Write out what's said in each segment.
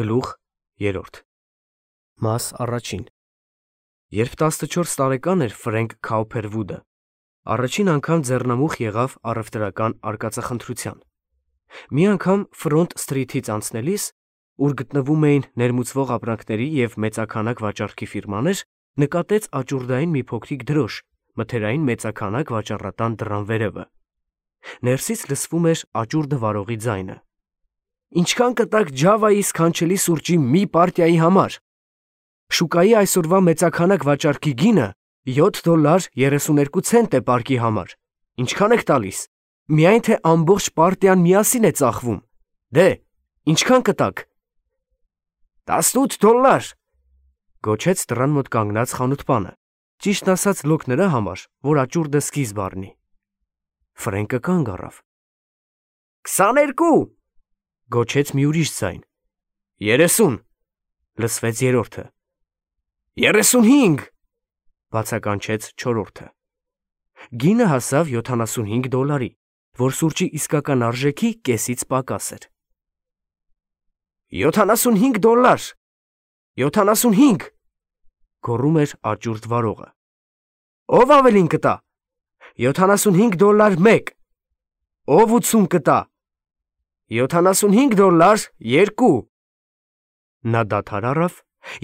Գլուխ 3 Մաս առաջին Երբ 14 տարեկան էր Ֆրենկ Քաուփերվուդը, առաջին անգամ ձեռնամուխ եղավ առևտրական արկածախնդրության։ Մի անգամ Ֆրոնտ Սթրիթից անցնելիս, ուր գտնվում էին ներմուծվող ապրանքների և մեծաքանակ վաճառքի ֆիրմաներ, նկատեց աճուրդային մի փոքրիկ դրոշ, մթերային մեծաքանակ վաճառատան դռան վերևը։ Ներսից լսվում էր աճուրդը վարողի ձայնը. «Ինչքան կտաք Ջավայի սքանչելի սուրճի մի պարտիայի համար»։ Շուկայի այսօրվա մեծաքանակ վաճառքի գինը $7.32 է պարկի համար։ Ինչքան եք տալիս։ Միայն թե ամբողջ պարտիան միասին է ծախվում։ Դե, ինչքան կտաք։ $18, գոչեց դռան մոտ կանգնած խանութպանը, ճիշտն ասած լոկ նրա համար, որ աճուրդը սկիզբ առնի։ Ֆրենկը կանգ առավ։ 22, գոչեց մի ուրիշ ձայն։ 30, լսվեց երրորդը։ 35, բացականչեց չորրորդը։ Գինը հասավ $75, որ սուրճի իսկական արժեքի կեսից պակաս էր։ $75, 75, գոռում էր աճուրդ վարողը։ Ով ավելին կտա։ $75 մեկ։ Ով 80 կտա։ $75 2։ Նա դադար առավ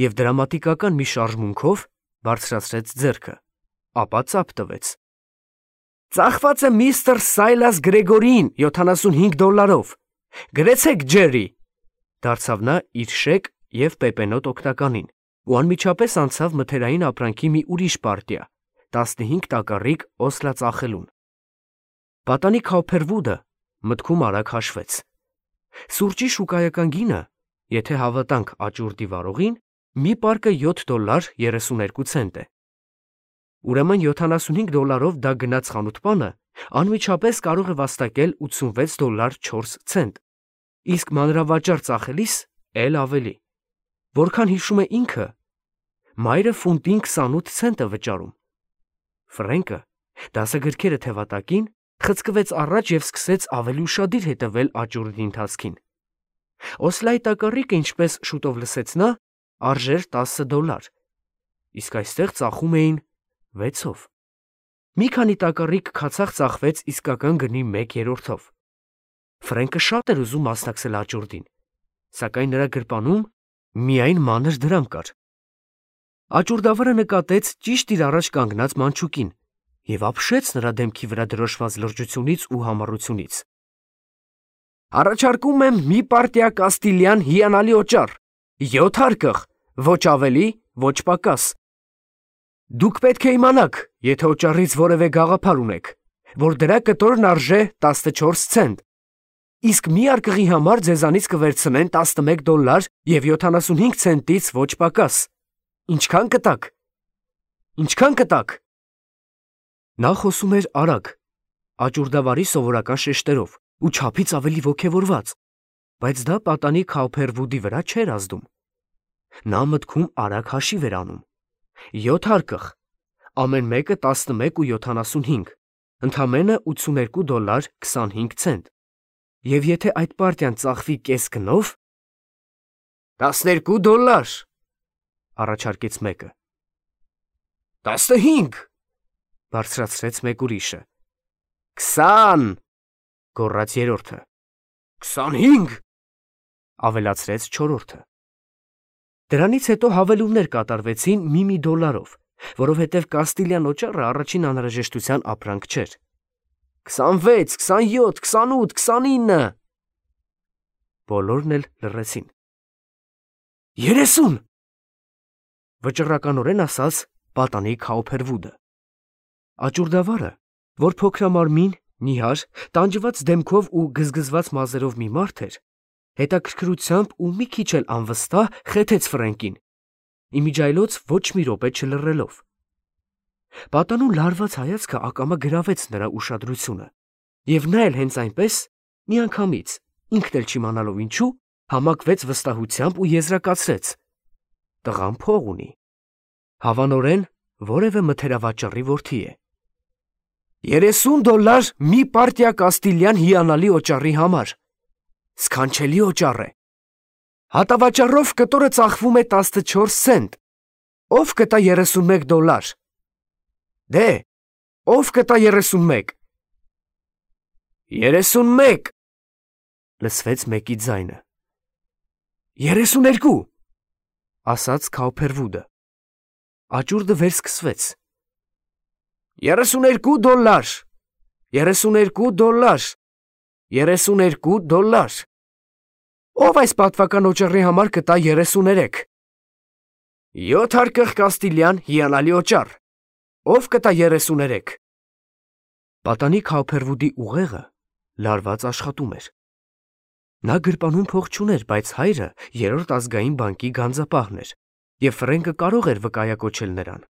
և դրամատիկական մի շարժմունքով բարձրացրեց ձեռքը, ապա ծափ տվեց։ Ծախված է միստր Սայլաս Գրեգորիին $75։ Գրեցեք Ջերի, դարձավ նա իր շեկ և պեպենոտ օգնականին ու անմիջապես անցավ մթերային ապրանքի մի ուրիշ պարտիա, 15 տակառիկ օսլա ծախելուն։ Պատանի Քաուփերվուդը մտքում արագ հաշվեց։ Սուրճի շուկայական գինը, եթե հավատանք աճուրդի վարողին, մի պարկը $7.32 է։ Ուրեմն $75 դա գնաց խանութպանը անմիջապես կարող է վաստակել $86.4, իսկ մանրավաճառ ծախելիս էլ ավելի։ Որքան հիշում է ինքը, մայրը ֆունտին 28 ցենտ է վճարում։ Ֆրենկը, դասագրքերը թևատակին, խցկվեց առաջ և սկսեց ավելի ուշադիր հետևել աճուրդի ընթացքին։ Օսլայի տակառիկը, ինչպես շուտով լսեց նա, արժեր $10, իսկ այստեղ ծախում էին 6-ով։ Մի քանի տակառիկ քացախ ծախվեց իսկական գնի 1/3-ով։ Ֆրենկը շատ էր ուզում մասնակցել աճուրդին, սակայն նրա գրպանում միայն մանր դրամ կար։ Աճուրդավարը նկատեց ճիշտ իր առաջ կանգնած մանչուկին և ապշեց նրա դեմքի վրա դրոշված լրջությունից ու համառությունից։ Առաջարկում եմ մի պարտիա կաստիլյան հիանալի օճառ, 7 հարկղ, ոչ ավելի, ոչ պակաս։ Դուք պետք է իմանաք, եթե օճառից որևէ գաղափար ունեք, որ դրա կտորն արժե 14 ցենտ, իսկ մի արկղի համար ձեզանից կվերցնեն $11 և 75 ցենտից ոչ պակաս։ Ինչքան կտաք։ Ինչքան կտաք։ Նա խոսում էր արագ, աճուրդավարի սովորական շեշտերով ու չափից ավելի ոգևորված, բայց դա պատանի Քաուփերվուդի վրա չէր ազդում։ Նա մտքում արագ հաշիվ էր անում. 7 հարկղ, ամեն մեկը 11.75, ընդամենը $82.25, և եթե այդ պարտիան ծախվի կես գնով… $12, առաջարկեց մեկը։ 15, բարձրացրեց մեկ ուրիշը։ 20, գոռաց երրորդը։ 25, ավելացրեց չորրորդը։ Դրանից հետո հավելումներ կատարվեցին մի $1, որովհետև կաստիլյան օճառը առաջին անհրաժեշտության ապրանք չէր։ 26, 27, 28, 29… Բոլորն էլ լռեցին։ 30… վճռականորեն ասաց պատանի Քաուփերվուդը։ Աճուրդավարը, որ փոքրամարմին, նիհար, տանջված դեմքով ու գզգզված մազերով մի մարդ էր, հետաքրքրությամբ ու մի քիչ էլ անվստահ խեթեց Ֆրենկին, իմիջիայլոց ոչ մի րոպե չլռելով։ Պատանու լարված հայացքը ակամա գրավեց նրա ուշադրությունը, և նա էլ հենց այնպես, միանգամից, ինքն էլ չիմանալով ինչու, համակվեց վստահությամբ ու եզրակացրեց. տղան փող ունի։ Հավանորեն որևէ մթերավաճառի որդի է։ $30 մի պարտիա կաստիլյան հիանալի օճառի համար։ Սքանչելի օճառ է։ Հատավաճառով կտորը ծախվում է 14 սենտ։ Ով կտա $31։ Դե, ով կտա 31։ 31 լսվեց մեկի ձայնը։ 32 ասաց Քաուփերվուդը։ Աճուրդը վերսկսվեց։ $32 $32 $32 Ով այս պատվական օճառի համար կտա 33։ 7 հարկեղ կաստիլյան հիանալի օճառ։ Ով կտա 33։ Պատանի Քաուփերվուդի ուղեղը լարված աշխատում էր։ Նա գրպանում փող չուներ, բայց հայրը երրորդ ազգային բանկի գանձապահն էր, եւ Ֆրենկը կարող էր վկայակոչել նրան։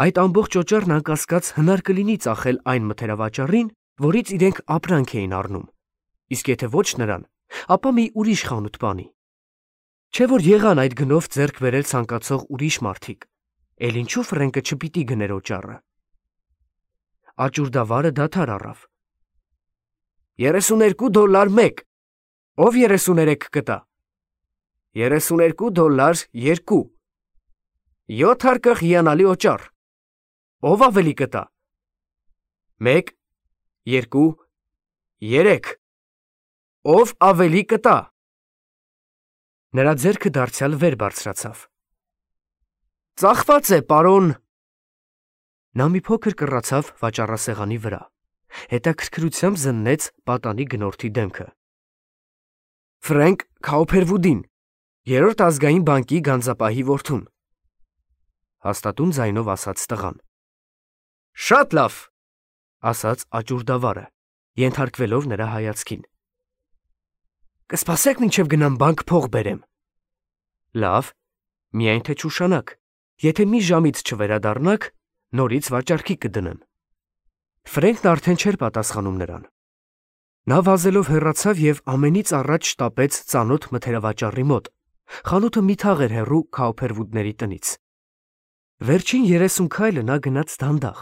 Այդ ամբողջ օճառն անկասկած հնար կլինի ծախել այն մթերավաճառին, որից իրենք ապրանք էին առնում, իսկ եթե ոչ նրան, ապա մի ուրիշ խանութ բանի։ Չէ որ եղան այդ գնով ձեռք բերել ցանկացող ուրիշ մարդիկ, էլ ինչու Ֆրենկը չպիտի գներ օճառը։ Աճուրդավարը դադար առավ։ $32 մեկ։ Ով 33 կտա։ $32 2։ 7 հարկեղ հիանալի օճառ։ Ով ավելի կտա։ 1 2 3։ Ով ավելի կտա։ Նրա ձեռքը դարձյալ վեր բարձրացավ։ Ծախված է, պարոն։ Նա մի փոքր կռացավ վաճառասեղանի վրա, հետաքրքրությամբ զննեց պատանի գնորդի դեմքը։ Ֆրենկ Քաուփերվուդին, երրորդ ազգային բանկի գանձապահի որդուն, հաստատուն ձայնով ասաց տղան։ Շատ լավ, ասաց աճուրդավարը, ենթարկվելով նրա հայացքին։ Կսպասեք մինչև գնամ բանկ փող բերեմ։ Լավ, միայն թե չուշանաք, եթե մի ժամից չվերադառնաք, նորից վաճառքի կդնեմ։ Ֆրենկն արդեն չէր պատասխանում նրան։ Նա վազելով հեռացավ եւ ամենից առաջ շտապեց ծանոթ մթերավաճառի մոտ։ Խանութը մի թաղ էր հեռու Քաուփերվուդների տնից։ Վերջին 30 քայլը նա գնաց դանդաղ,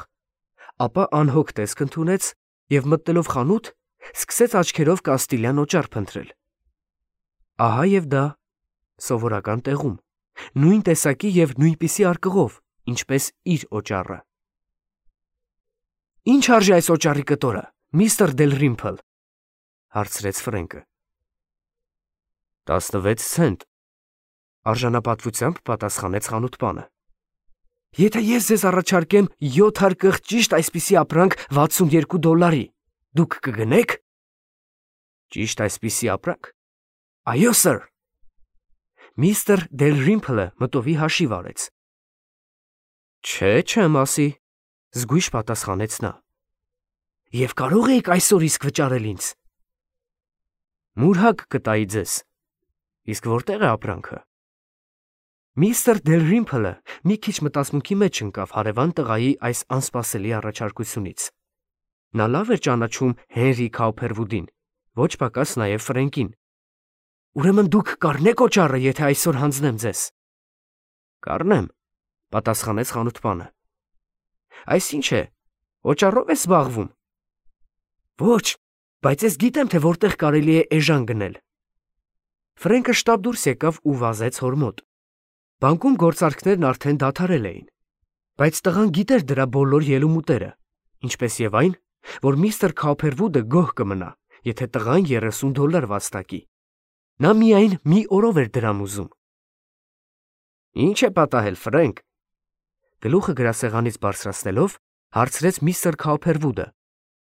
ապա անհոգ տեսք ընդունեց եւ մտնելով խանութ, սկսեց աչքերով կաստիլյան օճառ փնտրել։ Ահա եւ դա սովորական տեղում, նույն տեսակի եւ նույնպիսի արկղով, ինչպես իր օճառը։ Ինչ արժի այս օճառի կտորը, միստր Դելրիմփլ, հարցրեց Ֆրենկը։ 16 սենտ, արժանապատվությամբ պատասխանեց խանութպանը։ Եթե ես ձեզ առաջարկեմ 7 հարկղ ճիշտ այսպիսի ապրանք $62, դուք կգնեք։ Ճիշտ այսպիսի ապրանք։ Այո, սըր։ Միստր Դելրիմփլը մտովի հաշիվ արեց։ Չէ, չեմ ասի, զգույշ պատասխանեց նա։ Եվ կարող եք այսօր իսկ վճարել ինձ։ Մուրհակ կտայի ձեզ։ Իսկ որտեղ է ապրանքը։ Միստր Դելրիմփլը մի քիչ մտածմունքի մեջ ընկավ հարևան տղայի այս անսպասելի առաջարկությունից։ Նա լավ էր ճանաչում Հենրի Քաուփերվուդին, ոչ պակաս նաև Ֆրենկին։ Ուրեմն դուք կառնեք օճառը, եթե այսօր հանձնեմ ձեզ։ Կառնեմ, պատասխանեց խանութպանը։ Այսինչ է, օճառով ես զբաղվում։ Ոչ, բայց ես գիտեմ, թե որտեղ կարելի է էժան գնել։ Ֆրենկը շտապ դուրս եկավ ու վազեց հոր մոտ։ Բանկում գործարքներն արդեն դադարել էին, բայց տղան գիտեր դրա բոլոր ելումուտերը, ինչպես եւ այն, որ միստր Քաուփերվուդը գոհ կմնա, եթե տղան $30 վաստակի։ Նա միայն մի օրով էր դրամ ուզում։ Ինչ է պատահել, Ֆրենկ։ Գլուխը գրասեղանից բարձրացնելով, հարցրեց միստր Քաուփերվուդը,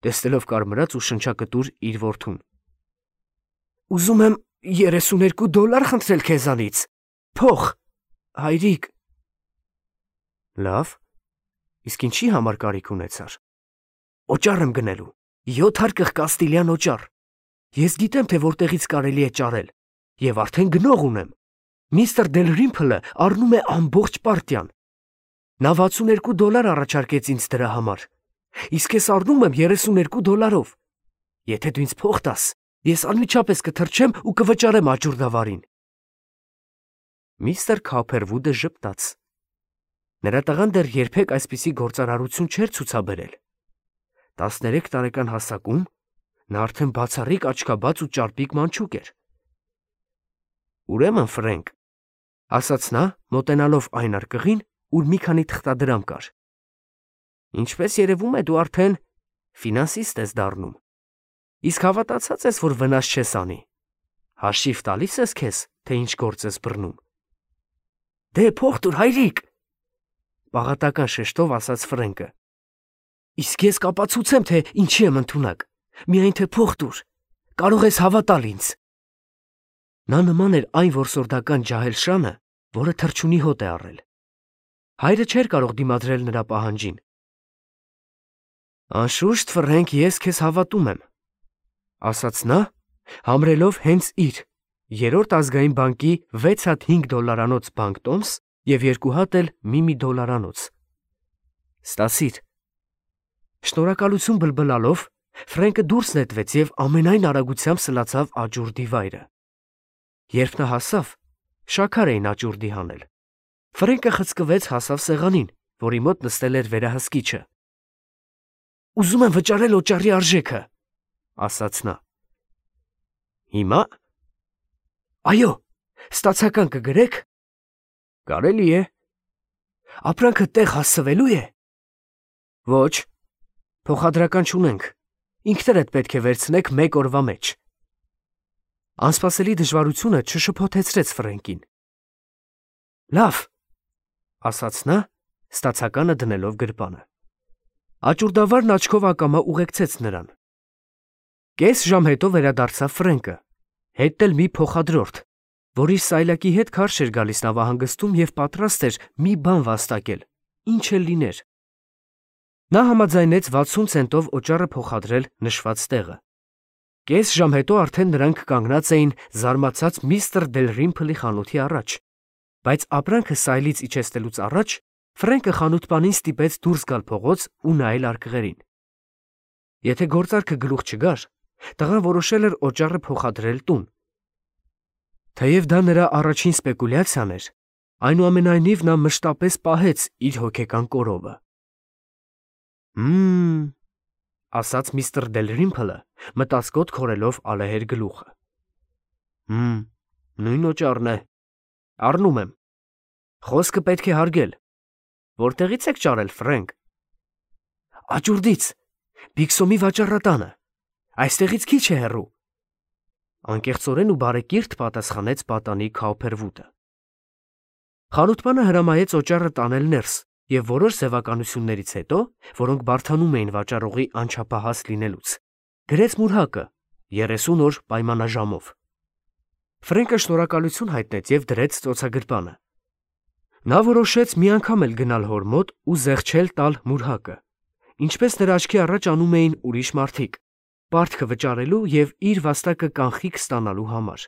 տեսնելով կարմրած ու շնչակտուր իր որդուն։ Ուզում եմ $32 խնդրել քեզանից։ Փող, հայրիկ։ Լավ, իսկ ինչի համար կարիք ունեցար։ Օճառ եմ գնելու, 7 հարկղ կաստիլյան օճառ։ Ես գիտեմ, թե որտեղից կարելի է ճարել, եւ արդեն գնող ունեմ։ Միստր Դելրիմփլը առնում է ամբողջ պարտիան։ Նա $62 առաջարկեց ինձ դրա համար, իսկ ես առնում եմ $32։ Եթե դու ինձ փող տաս, ես անմիջապես կթռչեմ ու կվճարեմ աճուրդավարին։ Միստր Քաուփերվուդը ժպտաց։ Նրա տղան դեռ երբեք այսպիսի գործարարություն չէր ցուցաբերել։ 13 տարեկան հասակում նա արդեն բացառիկ աչքաբաց ու ճարպիկ մանչուկ էր։ Ուրեմն Ֆրենկ, ասաց նա, մոտենալով այն արկղին, ուր մի քանի թղթադրամ կար։ Ինչպես երևում է, դու արդեն ֆինանսիստ ես դառնում։ Իսկ հավատացած ես, որ վնաս չես անի։ Հաշիվ տալիս ես քեզ, թե ինչ գործ ես բռնում։ Դե փող տուր, հայրիկ, պաղատական շեշտով ասաց Ֆրենկը։ Իսկ ես կապացուցեմ, թե ինչի եմ ընդունակ։ Միայն թե փող տուր, կարող ես հավատալ ինձ։ Նա նման էր այն որսորդական ջահել շանը, որը թռչունի հոտ է առել։ Հայրը չէր կարող դիմադրել նրա պահանջին։ Անշուշտ, Ֆրենկ, ես քեզ հավատում եմ, ասաց նա, համրելով հենց իր 3-րդ ազգային բանկի 6 հատ $5 բանկտոմս և 2 հատ էլ մի $1 Ստասիր։ Շնորհակալություն բլբլալով, Ֆրենկը դուրս նետվեց և ամենայն արագությամբ սլացավ աճուրդի վայրը։ Երբ նա հասավ, շաքար էին աճուրդի հանել։ Ֆրենկը խցկվեց, հասավ սեղանին, որի մոտ նստել էր վերահսկիչը։ Ուզում եմ վճարել օճառի արժեքը, ասաց նա։ Հիմա։ Այո, ստացական կգրեք։ Կարելի է։ Ապրանքը տեղ հասցվելու է։ Ոչ, փոխադրական չունենք։ Ինքներդ պետք է վերցնեք 1 օրվա մեջ։ Անսպասելի դժվարությունը չշփոթեցրեց Ֆրենկին։ Լավ, ասաց նա, ստացականը դնելով գրպանը։ Աճուրդավարն աչքով ակամա ուղեկցեց նրան։ Կես ժամ հետո վերադարձավ Ֆրենկը, հետ էլ մի փոխադրորդ, որ իր սայլակի հետ քարշ էր գալիս նավահանգստում և պատրաստ էր մի բան վաստակել, ինչ էլ լիներ։ Նա համաձայնեց 60 ցենտով օճառը փոխադրել նշված տեղը։ Կես ժամ հետո արդեն նրանք կանգնած էին զարմացած միստր Դելրիմփլի խանութի առաջ, բայց ապրանքը սայլից իջեցնելուց առաջ Ֆրենկը խանութպանին ստիպեց դուրս գալ փողոց ու նայել արկղերին։ Եթե գործարքը գլուխ չգար, տղան որոշել էր օճառը փոխադրել տուն։ Թեև դա նրա առաջին սպեկուլյացիան էր, այնուամենայնիվ նա մշտապես պահեց իր հոգեկան կորովը։ Ասաց միստր Դելրիմփլը, մտածկոտ քորելով ալեհեր գլուխը։ Նույն օճառն է։ Առնում եմ։ Խոսքը պետք է հարգել։ Որտեղից եք ճարել, Ֆրենկ։ Աճուրդից, Բիգսոմի վաճառատանը, այստեղից քիչ է հեռու։ Անկեղծորեն ու բարեկիրթ պատասխանեց պատանի Քաուփերվուդը։ Խանութպանը հրամայեց օճառը տանել ներս և որոշ սևականություններից հետո, որոնք բարդանում էին վաճառողի անչափահաս լինելուց, գրեց մուրհակը 30 օր պայմանաժամով։ Ֆրենկը շնորհակալություն հայտնեց և դրեց ծոցագրպանը։ Նա որոշեց մի անգամ էլ գնալ հոր մոտ ու զեղչել տալ մուրհակը, ինչպես նրա աչքի առաջ անում էին ուրիշ մարդիկ, պարտքը վճարելու և իր վաստակը կանխիկ ստանալու համար։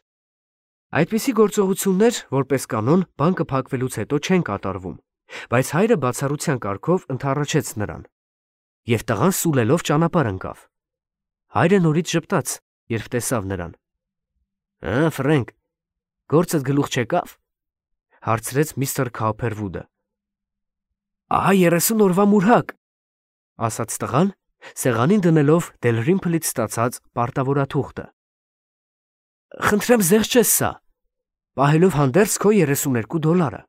Այդպիսի գործողություններ, որպես կանոն, բանկը փակվելուց հետո չեն կատարվում, բայց հայրը բացառության կարգով ընդառաջեց նրան, և տղան սուլելով ճանապարհ ընկավ։ Հայրը նորից ժպտաց, երբ տեսավ նրան։ Ֆրենկ, գործդ գլուխ չեկավ, հարցրեց միստր Քաուփերվուդը։ Ահա 30 օրվա մուրհակ, ասաց տղան, սեղանին դնելով Դելրիմփլից ստացած պարտավորաթուղթը։ Խնդրեմ զեղչես սա, պահելով հանդերձ քո $32։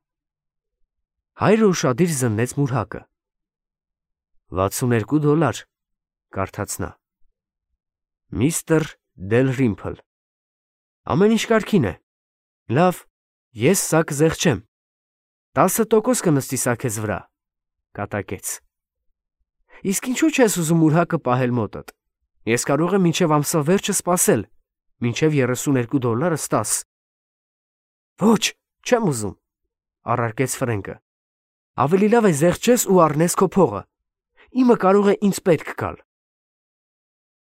Հայրը ուշադիր զննեց մուրհակը։ $62, կարդաց նա։ Միստր Դելրիմփլ։ Ամեն ինչ կարգին է։ Լավ, ես սա կզեղչեմ։ 10% կնստի սա քեզ վրա, կատակեց։ Իսկ ինչու չես ուզում մուրհակը պահել մոտդ։ Ես կարող եմ մինչև ամսվա վերջը սպասել, մինչև $32 ստաս։ Ոչ, չեմ ուզում, առարկեց Ֆրենկը։ Ավելի լավ է զեղչես ու առնես քո փողը։ Իմը կարող է ինձ պետք գալ։